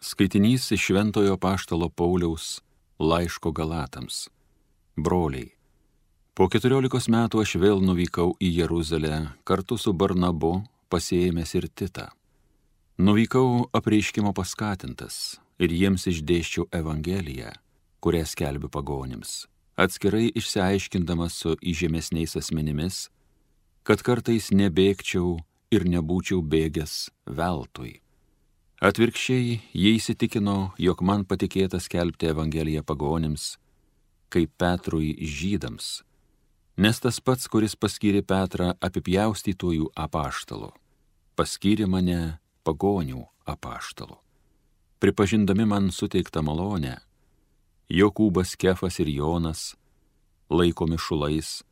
Skaitinys iš Šventojo apaštalo Pauliaus laiško Galatams. Broliai, po 14 metų aš vėl nuvykau į Jeruzalę kartu su Barnabu, pasiėmęs ir Titą. Nuvykau apreiškimo paskatintas ir jiems išdėsčiau Evangeliją, kurią skelbiu pagonims, atskirai išsiaiškindamas su įžemesniais asmenimis, kad kartais nebėgčiau ir nebūčiau bėgęs veltui. Atvirkščiai, jie įsitikino, jog man patikėta skelbti Evangeliją pagonims, kaip Petrui žydams, nes tas pats, kuris paskyrė Petrą apipjaustytojų apaštalu, paskyrė mane pagonių apaštalu. Pripažindami man suteiktą malonę, Jokūbas, Kefas ir Jonas, laikomi šulais,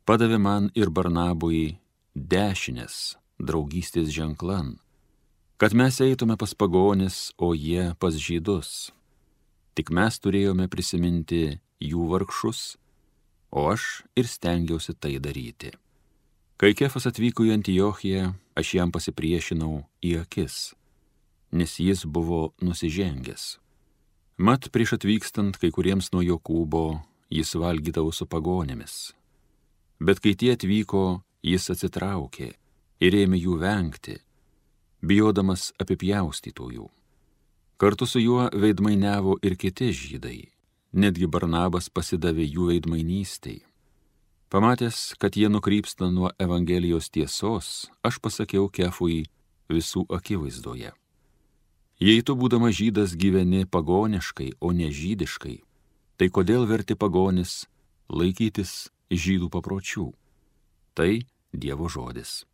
padavė man ir Barnabui dešinės draugystės ženklan, kad mes eitume pas pagonis, o jie pas žydus. Tik mes turėjome prisiminti jų vargšus, o aš ir stengiausi tai daryti. Kai Kefas atvyko į Antiochiją, aš jam pasipriešinau į akis, nes jis buvo nusižengęs. Mat prieš atvykstant kai kuriems nuo Jokūbo jis valgydavo su pagonėmis. Bet kai tie atvyko, jis atsitraukė ir ėmė jų vengti, bijodamas apipjaustytojų. Kartu su juo veidmainiavo ir kiti žydai, netgi Barnabas pasidavė jų veidmainystei. Pamatęs, kad jie nukrypsta nuo Evangelijos tiesos, aš pasakiau Kefui visų akivaizdoje. Jei tu, būdamas žydas, gyveni pagoniškai, o ne žydiškai, tai kodėl verti pagonis laikytis žydų papročių? Tai Dievo žodis.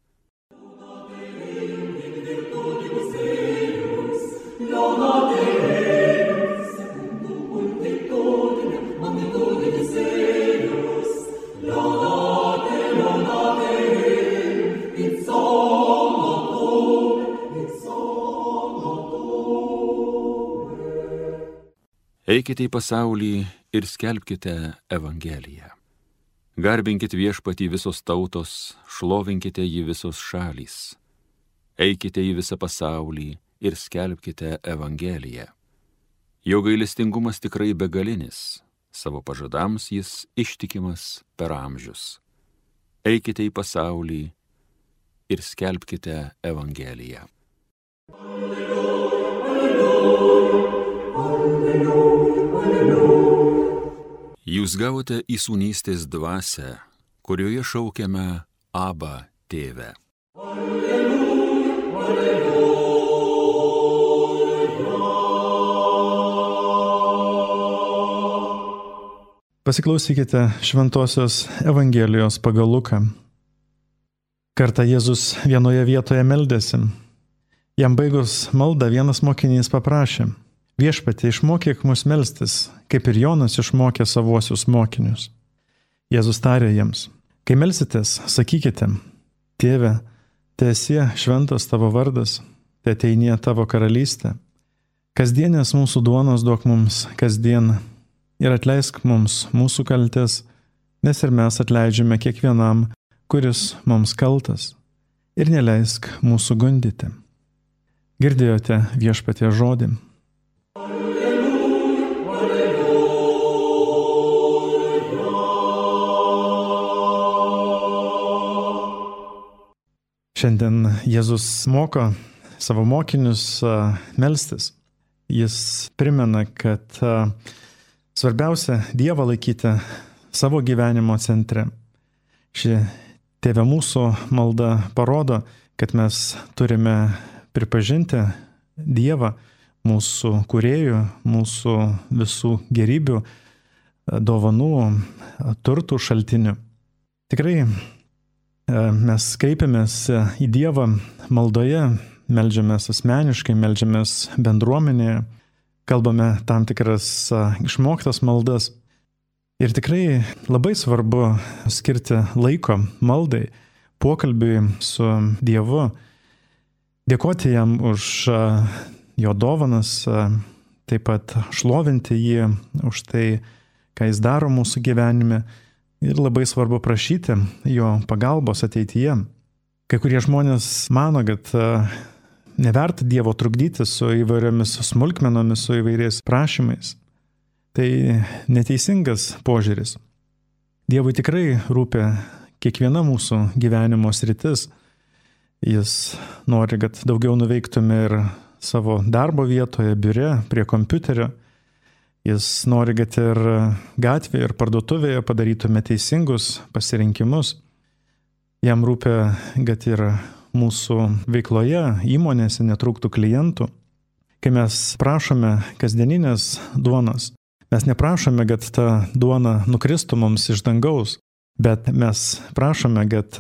Eikite į pasaulį ir skelbkite Evangeliją. Garbinkit Viešpatį visos tautos, šlovinkite jį visos šalys. Eikite į visą pasaulį ir skelbkite Evangeliją. Jo gailestingumas tikrai begalinis, savo pažadams jis ištikimas per amžius. Eikite į pasaulį ir skelbkite Evangeliją. Jūs gavote įsūnystės dvasią, kurioje šaukiame Abba, Tėve. Pasiklausykite Šventosios Evangelijos pagal Luką. Kartą Jėzus vienoje vietoje meldėsi. Jam baigus maldą vienas mokinys paprašė: Viešpatie, išmokyk mus melstis, kaip ir Jonas išmokė savuosius mokinius. Jėzus tarė jiems: kai melsitės, sakykite: Tėve, teesie šventas tavo vardas, teateinie tavo karalystė. Kasdienės mūsų duonos duok mums kasdien ir atleisk mums mūsų kaltes, nes ir mes atleidžiame kiekvienam, kuris mums kaltas, ir neleisk mūsų gundyti. Girdėjote Viešpaties žodį. Šiandien Jėzus moko savo mokinius melstis. Jis primena, kad svarbiausia Dievą laikyti savo gyvenimo centre. Ši Tėve mūsų malda parodo, kad mes turime pripažinti Dievą, mūsų kūrėjų, mūsų visų gerybių, dovanų, turtų šaltinių. Tikrai mes kreipiamės į Dievą maldoje, meldžiamės asmeniškai, meldžiamės bendruomenėje, kalbame tam tikras išmoktas maldas. Ir tikrai labai svarbu skirti laiko maldai, pokalbiui su Dievu, dėkoti jam už jo dovanas, taip pat šlovinti jį už tai, ką jis daro mūsų gyvenime. Ir labai svarbu prašyti jo pagalbos ateityje. Kai kurie žmonės mano, kad neverta Dievo trukdyti su įvairiomis smulkmenomis, su įvairiais prašymais. Tai neteisingas požiūris. Dievui tikrai rūpi kiekviena mūsų gyvenimo sritis. Jis nori, kad daugiau nuveiktume ir savo darbo vietoje, biure, prie kompiuterio. Jis nori, kad ir gatvėje, ir parduotuvėje padarytume teisingus pasirinkimus. Jam rūpi, kad ir mūsų veikloje, įmonėse netrūktų klientų. Kai mes prašome kasdieninės duonos, mes neprašome, kad ta duona nukristų mums iš dangaus, bet mes prašome, kad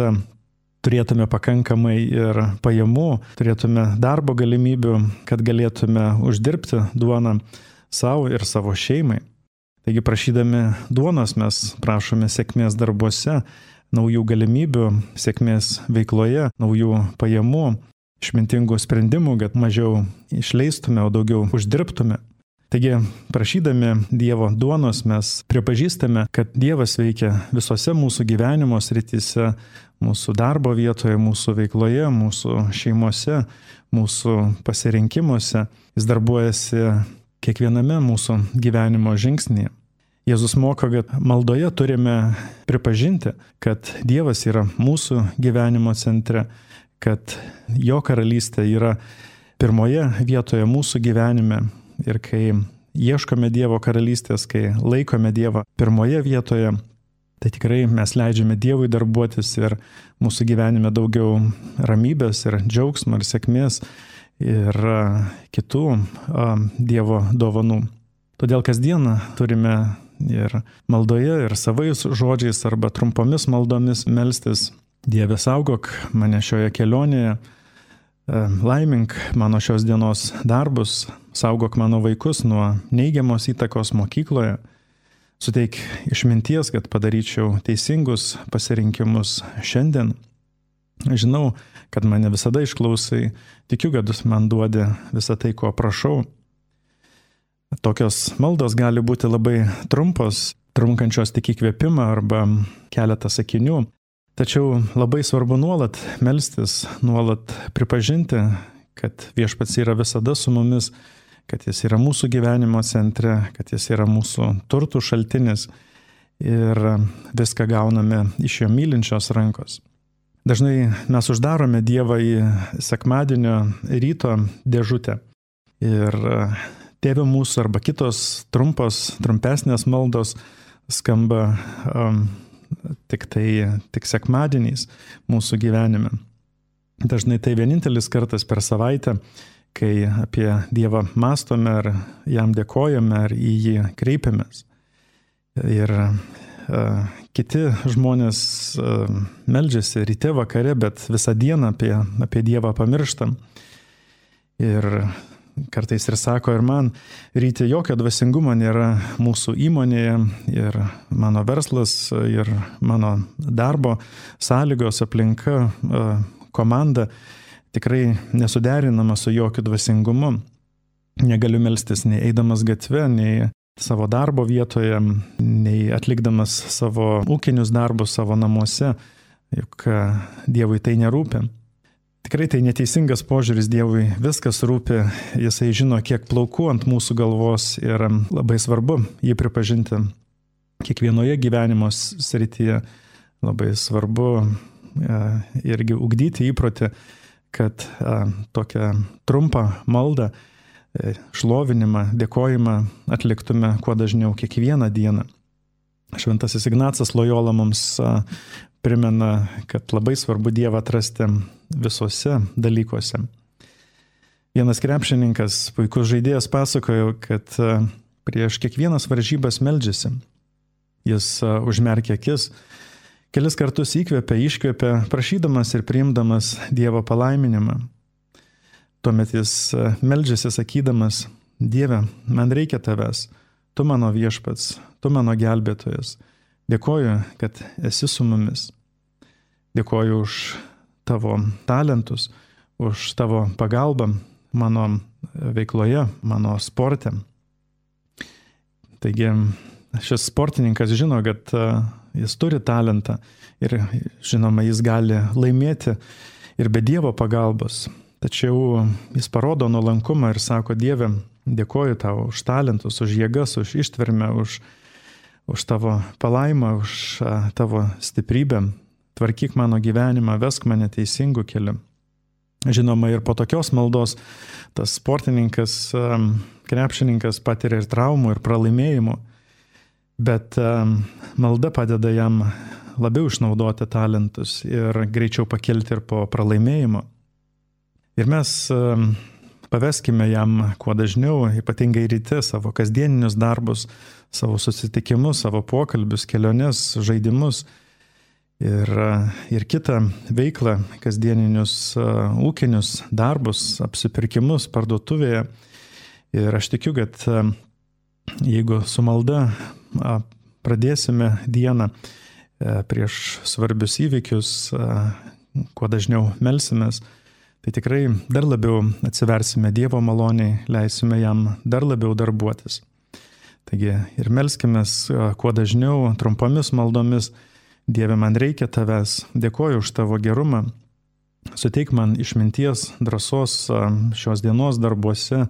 turėtume pakankamai ir pajamų, turėtume darbo galimybių, kad galėtume uždirbti duoną savo ir savo šeimai. Taigi prašydami duonos mes prašome sėkmės darbuose, naujų galimybių, sėkmės veikloje, naujų pajamų, išmintingų sprendimų, kad mažiau išleistume, o daugiau uždirbtume. Taigi, prašydami Dievo duonos mes pripažįstame, kad Dievas veikia visose mūsų gyvenimo srityse, mūsų darbo vietoje, mūsų veikloje, mūsų šeimose, mūsų pasirinkimuose. Jis darbuojasi kiekviename mūsų gyvenimo žingsnyje. Jėzus moko, kad maldoje turime pripažinti, kad Dievas yra mūsų gyvenimo centre, kad jo karalystė yra pirmoje vietoje mūsų gyvenime. Ir kai ieškome Dievo karalystės, kai laikome Dievą pirmoje vietoje, tai tikrai mes leidžiame Dievui darbuotis ir mūsų gyvenime daugiau ramybės ir džiaugsmo ir sėkmės ir kitų Dievo dovanų. Todėl kasdieną turime ir maldoje, ir savais žodžiais arba trumpomis maldomis melstis: Dieve, saugok mane šioje kelionėje, laimink mano šios dienos darbus, saugok mano vaikus nuo neigiamos įtakos mokykloje, suteik išminties, kad padaryčiau teisingus pasirinkimus šiandien. Žinau, kad mane visada išklausai, tikiu, kad man duodi visą tai, ko prašau. Tokios maldos gali būti labai trumpos, trunkančios tik įkvėpimą arba keletą sakinių. Tačiau labai svarbu nuolat melstis, nuolat pripažinti, kad Viešpats yra visada su mumis, kad jis yra mūsų gyvenimo centre, kad jis yra mūsų turtų šaltinis ir viską gauname iš jo mylinčios rankos. Dažnai mes uždarome Dievą į sekmadienio ryto dėžutę ir Tėve mūsų arba kitos trumpesnės maldos skamba tik sekmadieniais mūsų gyvenime. Dažnai tai vienintelis kartas per savaitę, kai apie Dievą mąstome ar jam dėkojame ar į jį kreipiamės. Ir kiti žmonės meldžiasi ryte vakare, bet visą dieną apie Dievą pamirštam. Ir kartais ir sako, ir man ryte jokio dvasingumo nėra mūsų įmonėje, ir mano verslas, ir mano darbo sąlygos, aplinka, komanda tikrai nesuderinama su jokiu dvasingumu. Negaliu melstis nei eidamas gatve, nei savo darbo vietoje, nei atlikdamas savo ūkinius darbus savo namuose, juk Dievui tai nerūpi. Tikrai tai neteisingas požiūris, Dievui viskas rūpi, jisai žino, kiek plaukų ant mūsų galvos ir labai svarbu jį pripažinti kiekvienoje gyvenimo srityje. Labai svarbu irgi ugdyti įprotį, kad tokią trumpą maldą, šlovinimą, dėkojimą atliktume kuo dažniau kiekvieną dieną. Šventasis Ignacas Lojola mums primena, kad labai svarbu Dievą atrasti visose dalykuose. Vienas krepšininkas, puikus žaidėjas, pasakojo, kad prieš kiekvienas varžybas meldžiasi. Jis užmerkė akis, kelis kartus įkvėpė, iškvėpė, prašydamas ir priimdamas Dievo palaiminimą. Tuomet jis meldžiasi sakydamas: Dieve, man reikia tavęs, tu mano viešpats, tu mano gelbėtojas. Dėkoju, kad esi su mumis. Dėkoju už tavo talentus, už tavo pagalbą mano veikloje, mano sporte. Taigi šis sportininkas žino, kad jis turi talentą ir žinoma, jis gali laimėti ir be Dievo pagalbos. tačiau jis parodo nuolankumą ir sako: Dieve, dėkoju tau už talentus, už jėgas, už ištvermę, už tavo palaimą, už tavo stiprybę. Tvarkyk mano gyvenimą, vesk mane teisingų kelių. Žinoma, ir po tokios maldos tas sportininkas, krepšininkas patiria ir traumų, ir pralaimėjimų, bet malda padeda jam labiau išnaudoti talentus ir greičiau pakelti ir po pralaimėjimo. Ir mes paveskime jam kuo dažniau, ypatingai ryte, savo kasdieninius darbus, savo susitikimus, savo pokalbius, keliones, žaidimus ir kitą veiklą, kasdieninius ūkinius darbus, apsipirkimus parduotuvėje. Ir aš tikiu, kad jeigu su malda pradėsime dieną prieš svarbius įvykius, kuo dažniau melsimės, tai tikrai dar labiau atsiversime Dievo maloniai, leisime jam dar labiau darbuotis. Taigi ir melskimės kuo dažniau, trumpomis maldomis: Dieve, man reikia tavęs, dėkoju už tavo gerumą, suteik man išminties, drąsos šios dienos darbuose,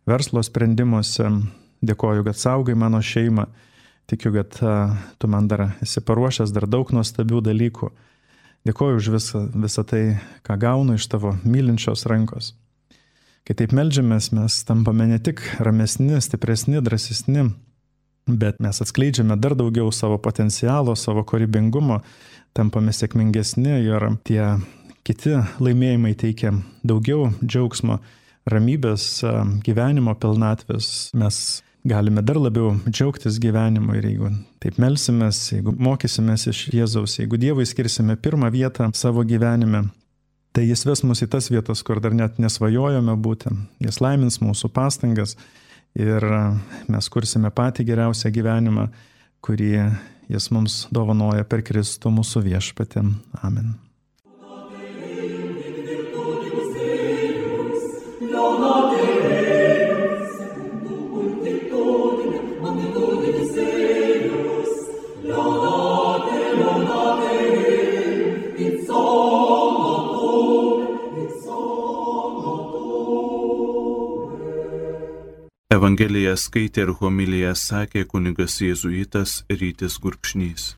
verslo sprendimuose, dėkoju, kad saugai mano šeimą, tikiu, kad tu man dar esi paruošęs dar daug nuostabių dalykų. Dėkoju už visą tai, ką gaunu iš tavo mylinčios rankos. Kai taip meldžiamės, mes tampame ne tik ramesni, stipresni, drąsesni, bet mes atskleidžiame dar daugiau savo potencialo, savo kūrybingumo, tampame sėkmingesni ir tie kiti laimėjimai teikia daugiau džiaugsmo, ramybės, gyvenimo pilnatvės. Mes galime dar labiau džiaugtis gyvenimu ir jeigu taip melsimės, jeigu mokysimės iš Jėzaus, jeigu Dievui skirsime pirmą vietą savo gyvenime, tai jis ves mus į tas vietas, kur dar net nesvajojame būti. Jis laimins mūsų pastangas ir mes kursime patį geriausią gyvenimą, kurį jis mums dovanoja per Kristų mūsų viešpatį. Amen. Evangeliją skaitė ir homiliją sakė kunigas jėzuitas Rytis Gurkšnys.